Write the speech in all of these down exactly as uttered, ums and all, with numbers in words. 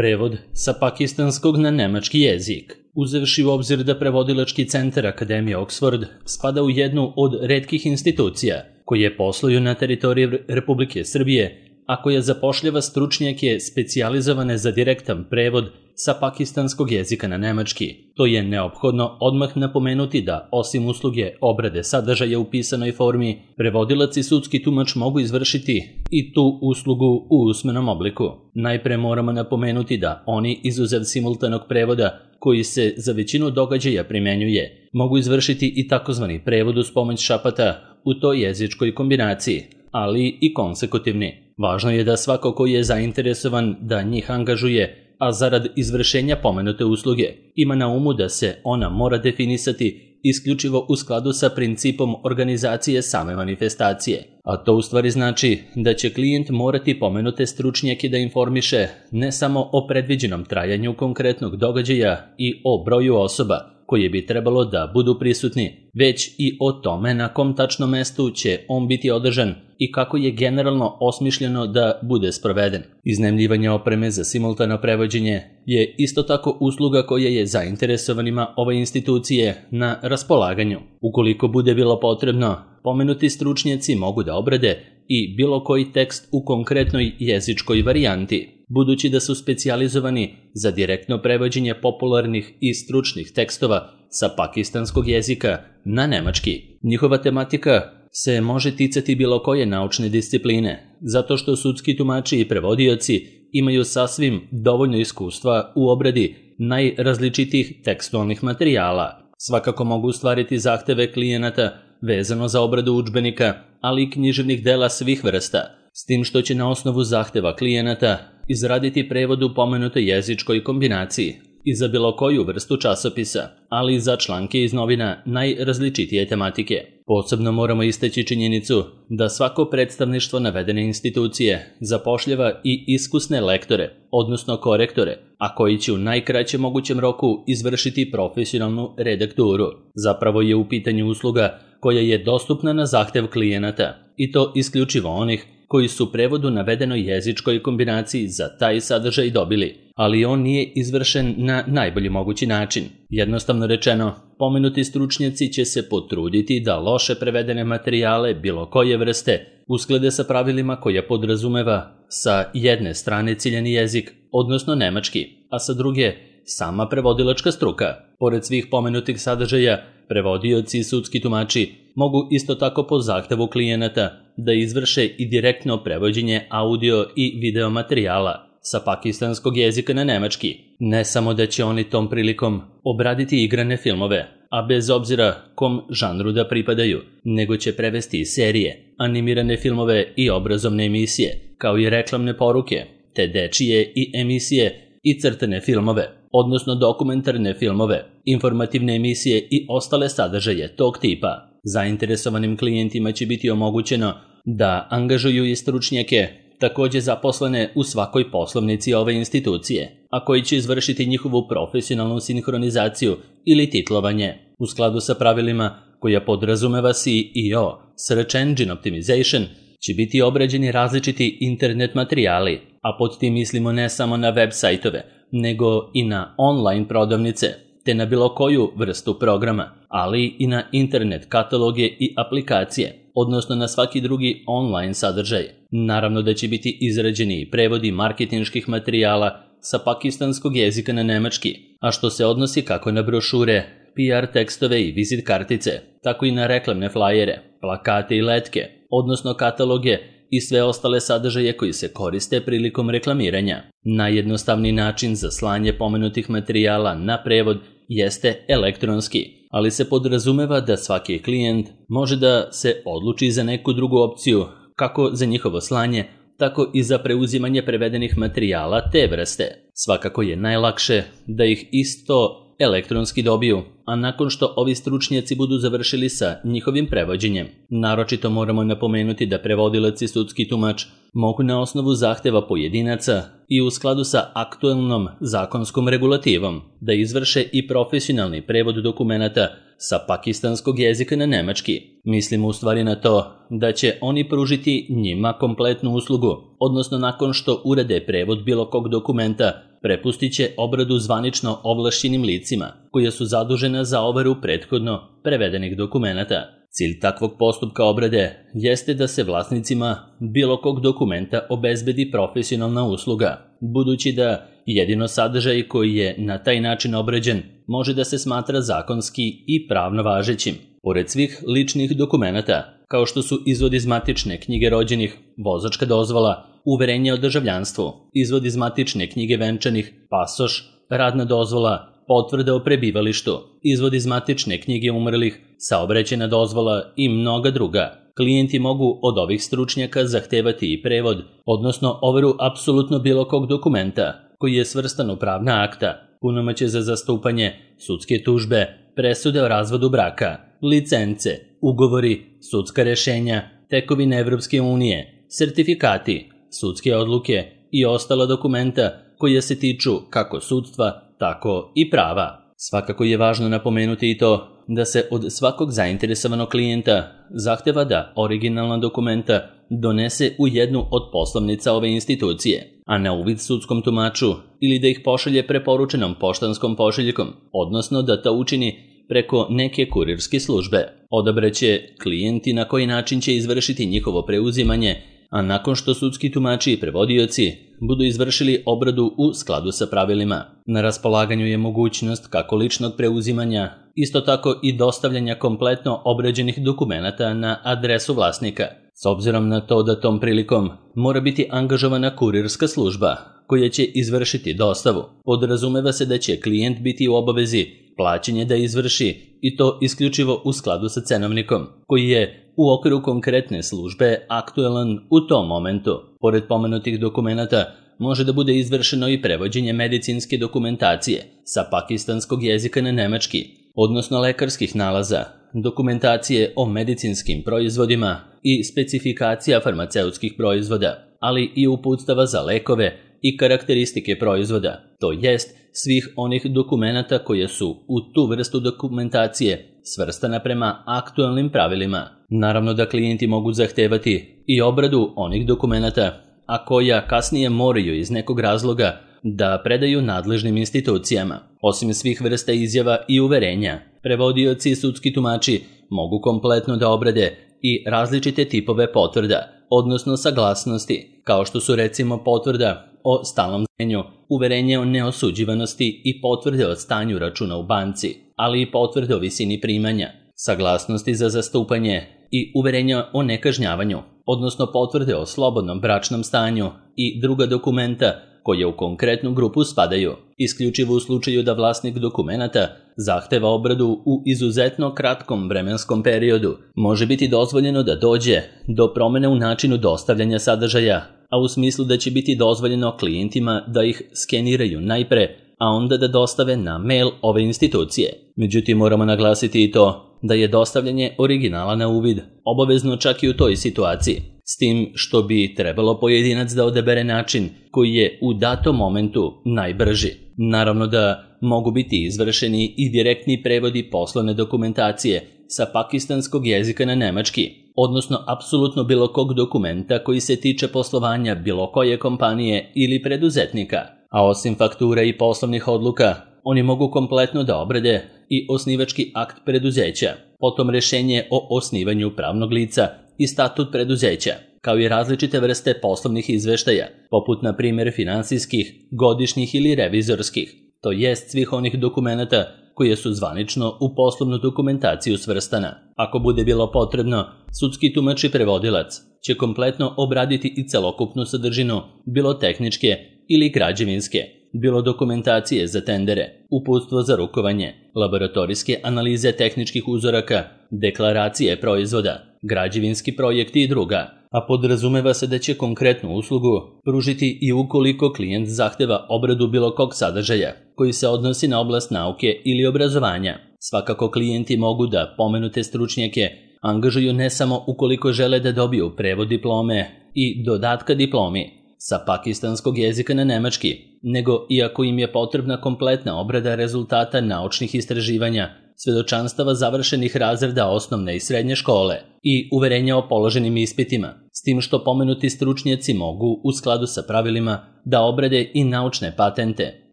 Prevod sa pakistanskog na nemački jezik. Uzevši u obzir da prevodilački centar Akademije Oxford spada u jednu od retkih institucija koje posluju na teritoriji Republike Srbije, a koja zapošljava stručnjake specijalizovane za direktan prevod sa pakistanskog jezika na nemački. To je neophodno odmah napomenuti da, osim usluge obrade sadržaja u pisanoj formi, prevodilac i sudski tumač mogu izvršiti i tu uslugu u usmenom obliku. Najpre moramo napomenuti da oni, izuzev simultanog prevoda, koji se za većinu događaja primenjuje, mogu izvršiti i takozvani prevod uz pomoć šapata u toj jezičkoj kombinaciji, ali i konsekutivni. Važno je da svako ko je zainteresovan da njih angažuje, a zarad izvršenja pomenute usluge, ima na umu da se ona mora definisati isključivo u skladu sa principom organizacije same manifestacije. A to u stvari znači da će klijent morati pomenute stručnjake da informiše ne samo o predviđenom trajanju konkretnog događaja i o broju osoba koje bi trebalo da budu prisutni, već i o tome na kom tačnom mestu će on biti održan i kako je generalno osmišljeno da bude sproveden. Iznajmljivanje opreme za simultano prevođenje je isto tako usluga koja je zainteresovanima ove institucije na raspolaganju. Ukoliko bude bilo potrebno, pomenuti stručnjaci mogu da obrade i bilo koji tekst u konkretnoj jezičkoj varijanti, budući da su specijalizovani za direktno prevođenje popularnih i stručnih tekstova sa pakistanskog jezika na nemački. Njihova tematika se može ticati bilo koje naučne discipline, zato što sudski tumači i prevodioci imaju sasvim dovoljno iskustva u obradi najrazličitijih tekstualnih materijala. Svakako mogu ostvariti zahteve klijenata vezano za obradu udžbenika, ali i književnih dela svih vrsta, s tim što će na osnovu zahteva klijenata izraditi prevod u pomenutoj jezičkoj kombinaciji i za bilo koju vrstu časopisa, ali i za članke iz novina najrazličitije tematike. Posebno moramo istaći činjenicu da svako predstavništvo navedene institucije zapošljava i iskusne lektore, odnosno korektore, a koji će u najkraćem mogućem roku izvršiti profesionalnu redakturu. Zapravo je u pitanju usluga koja je dostupna na zahtev klijenata, i to isključivo onih koji su prevod u navedenoj jezičkoj kombinaciji za taj sadržaj dobili, ali on nije izvršen na najbolji mogući način. Jednostavno rečeno, pomenuti stručnjaci će se potruditi da loše prevedene materijale bilo koje vrste usklade sa pravilima koja podrazumeva sa jedne strane ciljani jezik, odnosno nemački, a sa druge sama prevodilačka struka. Pored svih pomenutih sadržaja, prevodioci i sudski tumači mogu isto tako po zahtevu klijenata da izvrše i direktno prevođenje audio i video materijala sa pakistanskog jezika na nemački. Ne samo da će oni tom prilikom obraditi igrane filmove, a bez obzira kom žanru da pripadaju, nego će prevesti i serije, animirane filmove i obrazovne emisije, kao i reklamne poruke, te dečije i emisije i crtane filmove, odnosno dokumentarne filmove, informativne emisije i ostale sadržaje tog tipa. Zainteresovanim klijentima će biti omogućeno da angažuju i stručnjake, takođe zaposlene u svakoj poslovnici ove institucije, a koji će izvršiti njihovu profesionalnu sinhronizaciju ili titlovanje u skladu sa pravilima koja podrazumeva S E O, Search Engine Optimization, će biti obrađeni različiti internet materijali, a pod tim mislimo ne samo na web sajtove, nego i na online prodavnice, te na bilo koju vrstu programa, ali i na internet kataloge i aplikacije, odnosno na svaki drugi online sadržaj. Naravno da će biti izrađeni i prevodi marketinških materijala sa pakistanskog jezika na nemački, a što se odnosi kako na brošure, P R tekstove i vizit kartice, tako i na reklamne flajere, plakate i letke, odnosno kataloge i sve ostale sadržaje koji se koriste prilikom reklamiranja. Najjednostavniji način za slanje pomenutih materijala na prevod jeste elektronski, ali se podrazumeva da svaki klijent može da se odluči za neku drugu opciju, kako za njihovo slanje, tako i za preuzimanje prevedenih materijala te vrste. Svakako je najlakše da ih isto elektronski dobiju, a nakon što ovi stručnjaci budu završili sa njihovim prevođenjem. Naročito moramo napomenuti da prevodilac i sudski tumač mogu na osnovu zahteva pojedinaca i u skladu sa aktuelnom zakonskom regulativom da izvrše i profesionalni prevod dokumenata sa pakistanskog jezika na nemački. Mislimo u stvari na to da će oni pružiti njima kompletnu uslugu, odnosno nakon što urade prevod bilo kog dokumenta prepustit će obradu zvanično ovlašćenim licima, koja su zadužena za overu prethodno prevedenih dokumenata. Cilj takvog postupka obrade jeste da se vlasnicima bilo kog dokumenta obezbedi profesionalna usluga, budući da jedino sadržaj koji je na taj način obrađen može da se smatra zakonski i pravno važećim. Pored svih ličnih dokumenata, kao što su izvod iz matične knjige rođenih, vozačka dozvola, uverenje o državljanstvu, izvod iz matične knjige venčanih, pasoš, radna dozvola, potvrda o prebivalištu, izvod iz matične knjige umrlih, saobraćajna dozvola i mnoga druga. Klijenti mogu od ovih stručnjaka zahtevati i prevod, odnosno overu apsolutno bilo kog dokumenta koji je svrstan u pravna akta, punomoćje za zastupanje, sudske tužbe, presude o razvodu braka, licence, ugovori, sudska rešenja, tekovine Evropske unije, sertifikati, sudske odluke i ostala dokumenta koja se tiču kako sudstva, tako i prava. Svakako je važno napomenuti i to da se od svakog zainteresovanog klijenta zahteva da originalna dokumenta donese u jednu od poslovnica ove institucije, a na uvid sudskom tumaču ili da ih pošalje preporučenom poštanskom pošiljkom, odnosno da to učini preko neke kurirske službe. Odabraće klijenti na koji način će izvršiti njihovo preuzimanje, a nakon što sudski tumači i prevodioci budu izvršili obradu u skladu sa pravilima. Na raspolaganju je mogućnost kako ličnog preuzimanja, isto tako i dostavljanja kompletno obrađenih dokumenata na adresu vlasnika. S obzirom na to da tom prilikom mora biti angažovana kurirska služba koja će izvršiti dostavu, podrazumeva se da će klijent biti u obavezi plaćanje da izvrši i to isključivo u skladu sa cenovnikom, koji je u okviru konkretne službe aktuelan u tom momentu. Pored pomenutih dokumenata može da bude izvršeno i prevođenje medicinske dokumentacije sa pakistanskog jezika na nemački, odnosno lekarskih nalaza, dokumentacije o medicinskim proizvodima i specifikacija farmaceutskih proizvoda, ali i uputstava za lekove i karakteristike proizvoda, to jest svih onih dokumenata koje su u tu vrstu dokumentacije svrstana prema aktualnim pravilima. Naravno da klijenti mogu zahtevati i obradu onih dokumenata, a koja kasnije moraju iz nekog razloga da predaju nadležnim institucijama. Osim svih vrsta izjava i uverenja, prevodioci i sudski tumači mogu kompletno da obrade i različite tipove potvrda, odnosno saglasnosti, kao što su recimo potvrda o stalnom stanju, uverenje o neosuđivanosti i potvrde o stanju računa u banci, ali i potvrde o visini primanja, saglasnosti za zastupanje i uverenja o nekažnjavanju, odnosno potvrde o slobodnom bračnom stanju i druga dokumenta koje u konkretnu grupu spadaju, isključivo u slučaju da vlasnik dokumenata zahteva obradu u izuzetno kratkom vremenskom periodu. Može biti dozvoljeno da dođe do promene u načinu dostavljanja sadržaja, a u smislu da će biti dozvoljeno klijentima da ih skeniraju najpre, a onda da dostave na mail ove institucije. Međutim, moramo naglasiti i to da je dostavljanje originala na uvid obavezno čak i u toj situaciji, s tim što bi trebalo pojedinac da odabere način koji je u datom momentu najbrži. Naravno da mogu biti izvršeni i direktni prevodi poslovne dokumentacije sa pakistanskog jezika na nemački, odnosno apsolutno bilo kog dokumenta koji se tiče poslovanja bilo koje kompanije ili preduzetnika. A osim faktura i poslovnih odluka, oni mogu kompletno da obrade i osnivački akt preduzeća, potom rešenje o osnivanju pravnog lica i statut preduzeća, kao i različite vrste poslovnih izveštaja, poput na primjer finansijskih, godišnjih ili revizorskih, to jest svih onih dokumenata koje su zvanično u poslovnu dokumentaciju svrstana. Ako bude bilo potrebno, sudski tumač i prevodilac će kompletno obraditi i celokupnu sadržinu, bilo tehničke ili građevinske, bilo dokumentacije za tendere, uputstvo za rukovanje, laboratorijske analize tehničkih uzoraka, deklaracije proizvoda, građevinski projekti i druga, a podrazumeva se da će konkretnu uslugu pružiti i ukoliko klijent zahteva obradu bilo kog sadržaja koji se odnosi na oblast nauke ili obrazovanja. Svakako klijenti mogu da pomenute stručnjake angažuju ne samo ukoliko žele da dobiju prevod diplome i dodatka diplomi sa pakistanskog jezika na nemački, nego i ako im je potrebna kompletna obrada rezultata naučnih istraživanja, svedočanstava završenih razreda osnovne i srednje škole i uverenja o položenim ispitima, s tim što pomenuti stručnjaci mogu, u skladu sa pravilima, da obrade i naučne patente,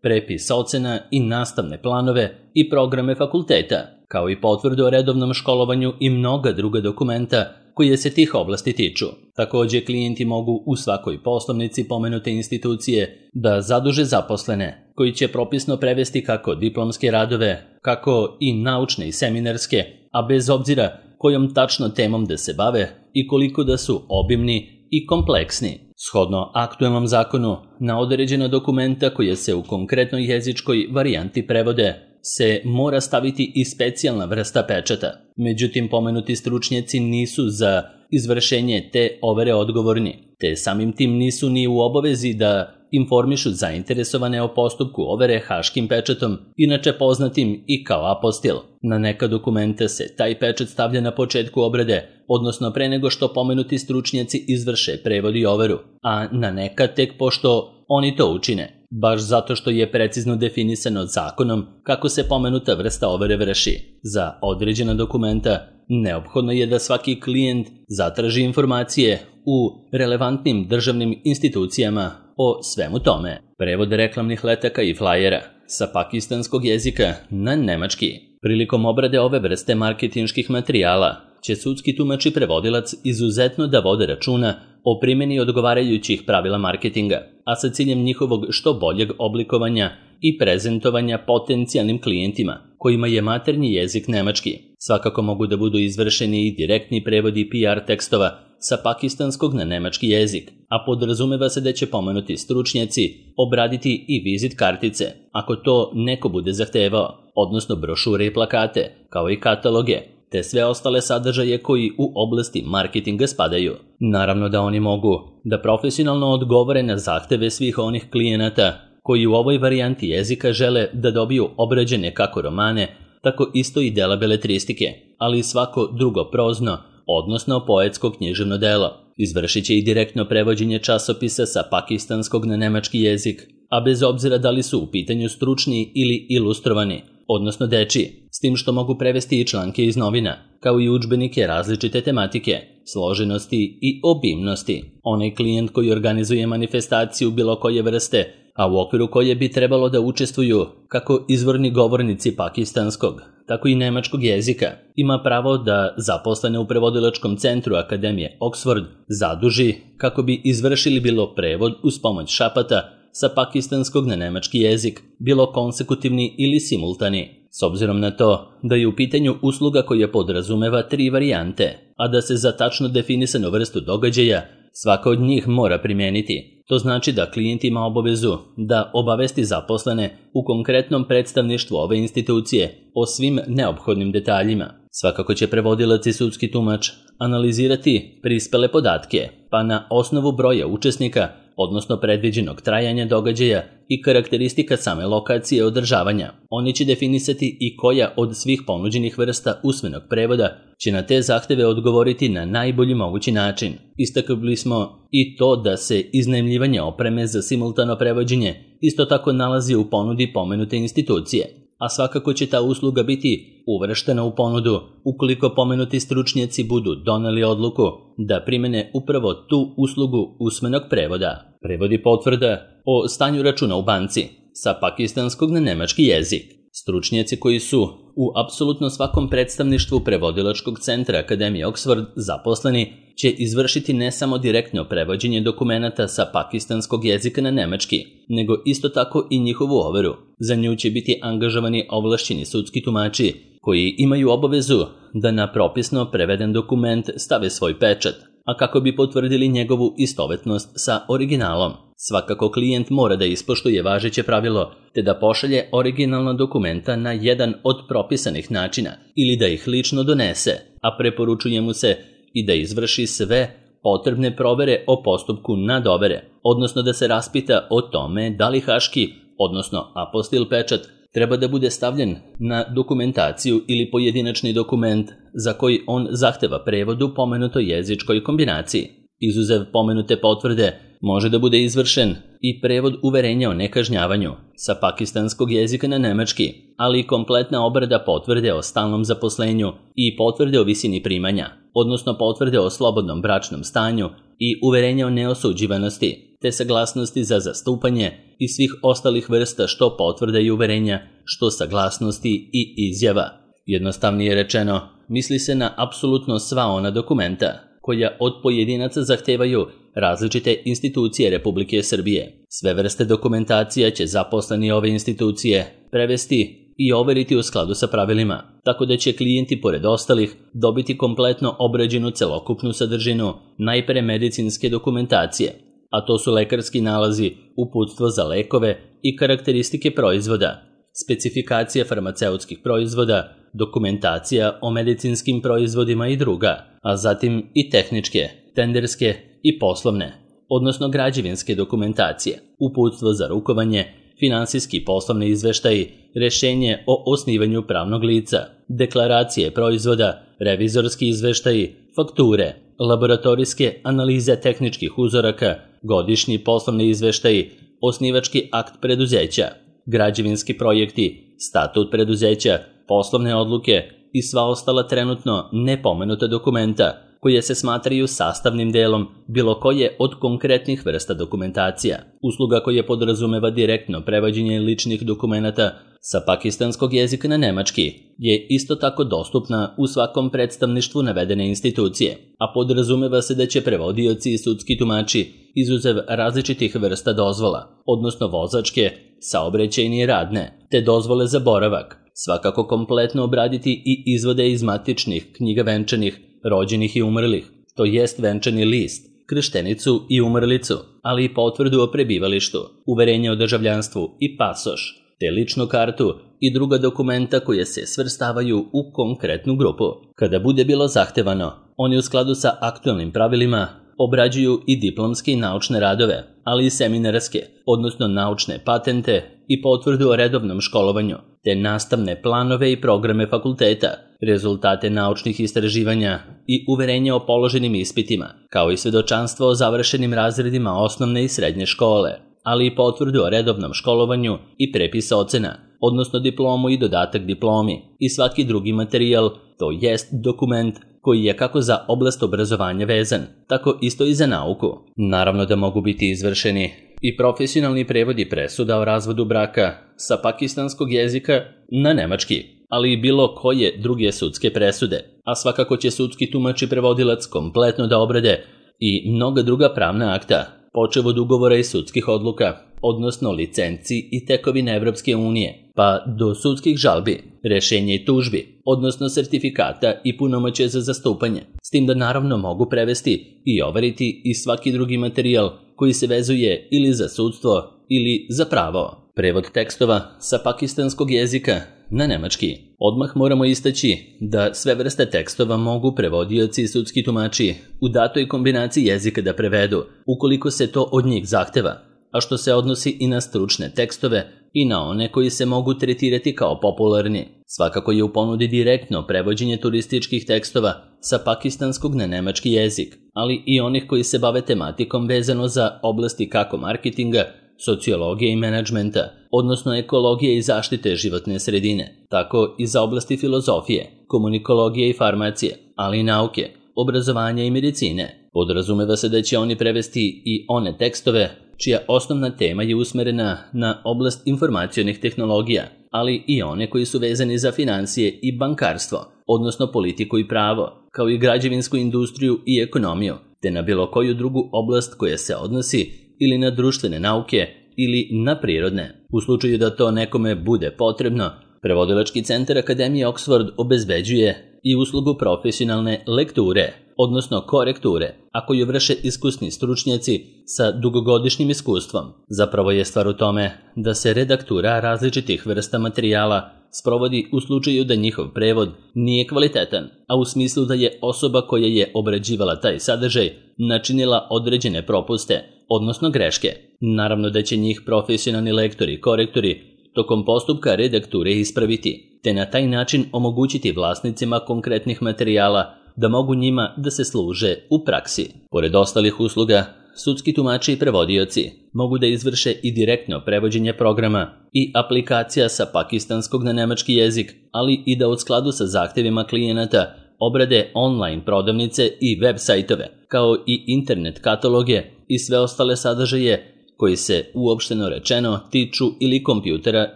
prepis ocena i nastavne planove i programe fakulteta, kao i potvrdu o redovnom školovanju i mnoga druga dokumenta koje se tih oblasti tiču. Takođe, klijenti mogu u svakoj poslovnici pomenute institucije da zaduže zaposlene, koji će propisno prevesti kako diplomske radove, kako i naučne i seminarske, a bez obzira kojom tačno temom da se bave i koliko da su obimni i kompleksni. Shodno aktuelnom zakonu, na određena dokumenta koje se u konkretnoj jezičkoj varijanti prevode, se mora staviti i specijalna vrsta pečata. Međutim, pomenuti stručnjaci nisu za izvršenje te overe odgovorni, te samim tim nisu ni u obavezi da informišu zainteresovane o postupku overe haškim pečatom, inače poznatim i kao apostil. Na neka dokumenta se taj pečat stavlja na početku obrade, odnosno pre nego što pomenuti stručnjaci izvrše prevod i overu, a na neka tek pošto oni to učine, baš zato što je precizno definisano zakonom kako se pomenuta vrsta overe vrši. Za određena dokumenta neophodno je da svaki klijent zatraži informacije u relevantnim državnim institucijama o svemu tome. Prevod reklamnih letaka i flajera sa pakistanskog jezika na nemački. Prilikom obrade ove vrste marketinških materijala će sudski tumač i prevodilac izuzetno da vode računa o primjeni odgovarajućih pravila marketinga, a sa ciljem njihovog što boljeg oblikovanja i prezentovanja potencijalnim klijentima kojima je maternji jezik nemački. Svakako mogu da budu izvršeni i direktni prevodi P R tekstova sa pakistanskog na nemački jezik, a podrazumeva se da će pomenuti stručnjaci obraditi i vizit kartice, ako to neko bude zahtevao, odnosno brošure i plakate, kao i kataloge, te sve ostale sadržaje koji u oblasti marketinga spadaju. Naravno da oni mogu da profesionalno odgovore na zahteve svih onih klijenata koji u ovoj varijanti jezika žele da dobiju obrađene kako romane, tako isto i dela beletristike, ali i svako drugo prozno, odnosno poetsko književno delo. Izvršit će i direktno prevođenje časopisa sa pakistanskog na nemački jezik, a bez obzira da li su u pitanju stručni ili ilustrovani, odnosno dečiji, s tim što mogu prevesti i članke iz novina, kao i udžbenike različite tematike, složenosti i obimnosti. Onaj klijent koji organizuje manifestaciju bilo koje vrste, a u okviru koje bi trebalo da učestvuju kako izvorni govornici pakistanskog, tako i nemačkog jezika, ima pravo da zaposlene u prevodilačkom centru Akademije Oxford zaduži kako bi izvršili bilo prevod uz pomoć šapata sa pakistanskog na nemački jezik, bilo konsekutivni ili simultani, s obzirom na to da je u pitanju usluga koja podrazumeva tri varijante, a da se za tačno definisanu vrstu događaja svaka od njih mora primijeniti. To znači da klijent ima obavezu da obavesti zaposlene u konkretnom predstavništvu ove institucije o svim neophodnim detaljima. Svakako će prevodilac i sudski tumač analizirati prispele podatke, pa na osnovu broja učesnika, odnosno predviđenog trajanja događaja i karakteristika same lokacije održavanja. Oni će definisati i koja od svih ponuđenih vrsta usmenog prevoda će na te zahteve odgovoriti na najbolji mogući način. Istakli smo i to da se iznajmljivanje opreme za simultano prevođenje isto tako nalazi u ponudi pomenute institucije, a svakako će ta usluga biti uvrštena u ponudu ukoliko pomenuti stručnjaci budu doneli odluku da primene upravo tu uslugu usmenog prevoda. Prevodi potvrda o stanju računa u banci sa pakistanskog na nemački jezik. Stručnjaci koji su u apsolutno svakom predstavništvu prevodilačkog centra Akademije Oxford zaposleni će izvršiti ne samo direktno prevođenje dokumenata sa pakistanskog jezika na nemački, nego isto tako i njihovu overu. Za nju će biti angažovani ovlašćeni sudski tumači koji imaju obavezu da na propisno preveden dokument stave svoj pečat, a kako bi potvrdili njegovu istovetnost sa originalom. Svakako klijent mora da ispoštuje važeće pravilo te da pošalje originalna dokumenta na jedan od propisanih načina ili da ih lično donese, a preporučuje mu se i da izvrši sve potrebne provere o postupku nadovere, odnosno da se raspita o tome da li haški, odnosno apostil pečat, treba da bude stavljen na dokumentaciju ili pojedinačni dokument za koji on zahteva prevod u pomenutoj jezičkoj kombinaciji. Izuzev pomenute potvrde, može da bude izvršen i prevod uverenja o nekažnjavanju sa pakistanskog jezika na nemački, ali i kompletna obrada potvrde o stalnom zaposlenju i potvrde o visini primanja, odnosno potvrde o slobodnom bračnom stanju i uverenja o neosuđivanosti, te saglasnosti za zastupanje i svih ostalih vrsta što potvrde i uverenja, što saglasnosti i izjava. Jednostavnije rečeno, misli se na apsolutno sva ona dokumenta koja od pojedinaca zahtevaju različite institucije Republike Srbije. Sve vrste dokumentacija će zaposleni ove institucije prevesti i overiti u skladu sa pravilima, tako da će klijenti pored ostalih dobiti kompletno obrađenu celokupnu sadržinu najpre medicinske dokumentacije, a to su lekarski nalazi, uputstvo za lekove i karakteristike proizvoda, specifikacija farmaceutskih proizvoda, dokumentacija o medicinskim proizvodima i druga, a zatim i tehničke, tenderske i poslovne, odnosno građevinske dokumentacije, uputstvo za rukovanje, finansijski poslovni izveštaji, rešenje o osnivanju pravnog lica, deklaracije proizvoda, revizorski izveštaji, fakture, laboratorijske analize tehničkih uzoraka, godišnji poslovni izveštaji, osnivački akt preduzeća, građevinski projekti, statut preduzeća, poslovne odluke i sva ostala trenutno nepomenuta dokumenta koje se smatraju sastavnim delom bilo koje od konkretnih vrsta dokumentacija. Usluga koja podrazumeva direktno prevođenje ličnih dokumenata sa pakistanskog jezika na nemački je isto tako dostupna u svakom predstavništvu navedene institucije, a podrazumeva se da će prevodioci i sudski tumači izuzev različitih vrsta dozvola, odnosno vozačke, saobraćajne i radne, te dozvole za boravak, svakako kompletno obraditi i izvode iz matičnih knjiga venčanih, rođenih i umrlih, to jest venčani list, krštenicu i umrlicu, ali i potvrdu o prebivalištu, uverenje o državljanstvu i pasoš, te ličnu kartu i druga dokumenta koje se svrstavaju u konkretnu grupu. Kada bude bilo zahtevano, oni u skladu sa aktualnim pravilima obrađuju i diplomske i naučne radove, ali i seminarske, odnosno naučne patente i potvrdu o redovnom školovanju, te nastavne planove i programe fakulteta, rezultate naučnih istraživanja i uverenja o položenim ispitima, kao i svedočanstvo o završenim razredima osnovne i srednje škole, ali i potvrdu o redovnom školovanju i prepis ocena, odnosno diplomu i dodatak diplomi i svaki drugi materijal, to jest dokument koji je kako za oblast obrazovanja vezan, tako isto i za nauku. Naravno da mogu biti izvršeni i profesionalni prevodi presuda o razvodu braka sa pakistanskog jezika na nemački, ali i bilo koje druge sudske presude, a svakako će sudski tumač i prevodilac kompletno da obrade i mnoga druga pravna akta, počev od ugovora i sudskih odluka, odnosno licenci i tekovine Evropske unije, pa do sudskih žalbi, rešenja i tužbi, odnosno sertifikata i punomoćja za zastupanje, s tim da naravno mogu prevesti i overiti i svaki drugi materijal koji se vezuje ili za sudstvo ili za pravo. Prevod tekstova sa pakistanskog jezika na nemački. Odmah moramo istaći da sve vrste tekstova mogu prevodioci i sudski tumači u datoj kombinaciji jezika da prevedu, ukoliko se to od njih zahteva, a što se odnosi i na stručne tekstove i na one koji se mogu tretirati kao popularni. Svakako je u ponudi direktno prevođenje turističkih tekstova sa pakistanskog na nemački jezik, ali i onih koji se bave tematikom vezano za oblasti kako marketinga, sociologije i menadžmenta, odnosno ekologije i zaštite životne sredine, tako i za oblasti filozofije, komunikologije i farmacije, ali i nauke, obrazovanja i medicine. Podrazumeva se da će oni prevesti i one tekstove čija osnovna tema je usmerena na oblast informacionih tehnologija, ali i one koji su vezani za financije i bankarstvo, odnosno politiku i pravo, kao i građevinsku industriju i ekonomiju, te na bilo koju drugu oblast koja se odnosi ili na društvene nauke ili na prirodne. U slučaju da to nekome bude potrebno, Prevodilački centar Akademije Oxford obezbeđuje i uslugu profesionalne lekture, odnosno korekture, ako ju vrše iskusni stručnjaci sa dugogodišnjim iskustvom. Zapravo je stvar u tome da se redaktura različitih vrsta materijala sprovodi u slučaju da njihov prevod nije kvalitetan, a u smislu da je osoba koja je obrađivala taj sadržaj načinila određene propuste, odnosno greške. Naravno da će njih profesionalni lektori i korektori tokom postupka redakture ispraviti, te na taj način omogućiti vlasnicima konkretnih materijala da mogu njima da se služe u praksi. Pored ostalih usluga, sudski tumači i prevodioci mogu da izvrše i direktno prevođenje programa i aplikacija sa pakistanskog na nemački jezik, ali i da u skladu sa zahtevima klijenata obrade online prodavnice i web sajtove, kao i internet kataloge i sve ostale sadržaje koji se, uopšteno rečeno, tiču ili kompjutera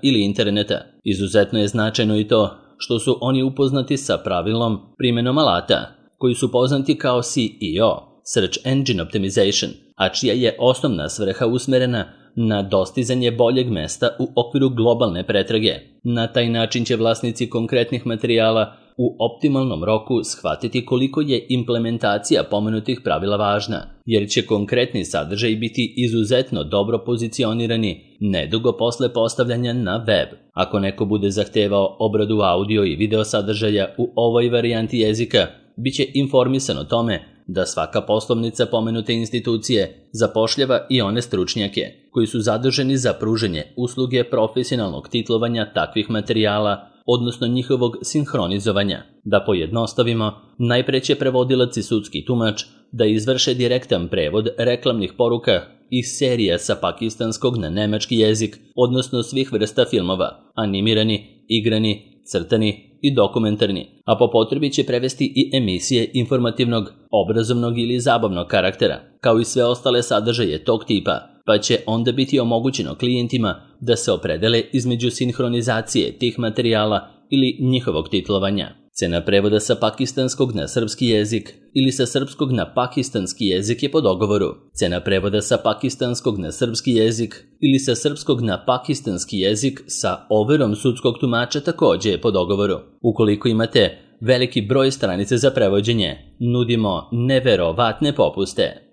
ili interneta. Izuzetno je značajno i to što su oni upoznati sa pravilom primjenom alata, koji su poznati kao S E O, Search Engine Optimization, a čija je osnovna svrha usmerena na dostizanje boljeg mesta u okviru globalne pretrage. Na taj način će vlasnici konkretnih materijala u optimalnom roku shvatiti koliko je implementacija pomenutih pravila važna, jer će konkretni sadržaj biti izuzetno dobro pozicionirani nedugo posle postavljanja na web. Ako neko bude zahtevao obradu audio i video sadržaja u ovoj varijanti jezika, bit će informisan o tome da svaka poslovnica pomenute institucije zapošljava i one stručnjake koji su zaduženi za pružanje usluge profesionalnog titlovanja takvih materijala, odnosno njihovog sinhronizovanja. Da pojednostavimo, najpre će prevodilac i sudski tumač da izvrše direktan prevod reklamnih poruka i serija sa pakistanskog na nemački jezik, odnosno svih vrsta filmova, animirani, igrani, crtani i dokumentarni, a po potrebi će prevesti i emisije informativnog, obrazovnog ili zabavnog karaktera, kao i sve ostale sadržaje tog tipa, pa će onda biti omogućeno klijentima da se opredele između sinhronizacije tih materijala ili njihovog titlovanja. Cena prevoda sa pakistanskog na srpski jezik ili sa srpskog na pakistanski jezik je po dogovoru. Cena prevoda sa pakistanskog na srpski jezik ili sa srpskog na pakistanski jezik sa overom sudskog tumača takođe je po dogovoru. Ukoliko imate veliki broj stranice za prevođenje, nudimo neverovatne popuste.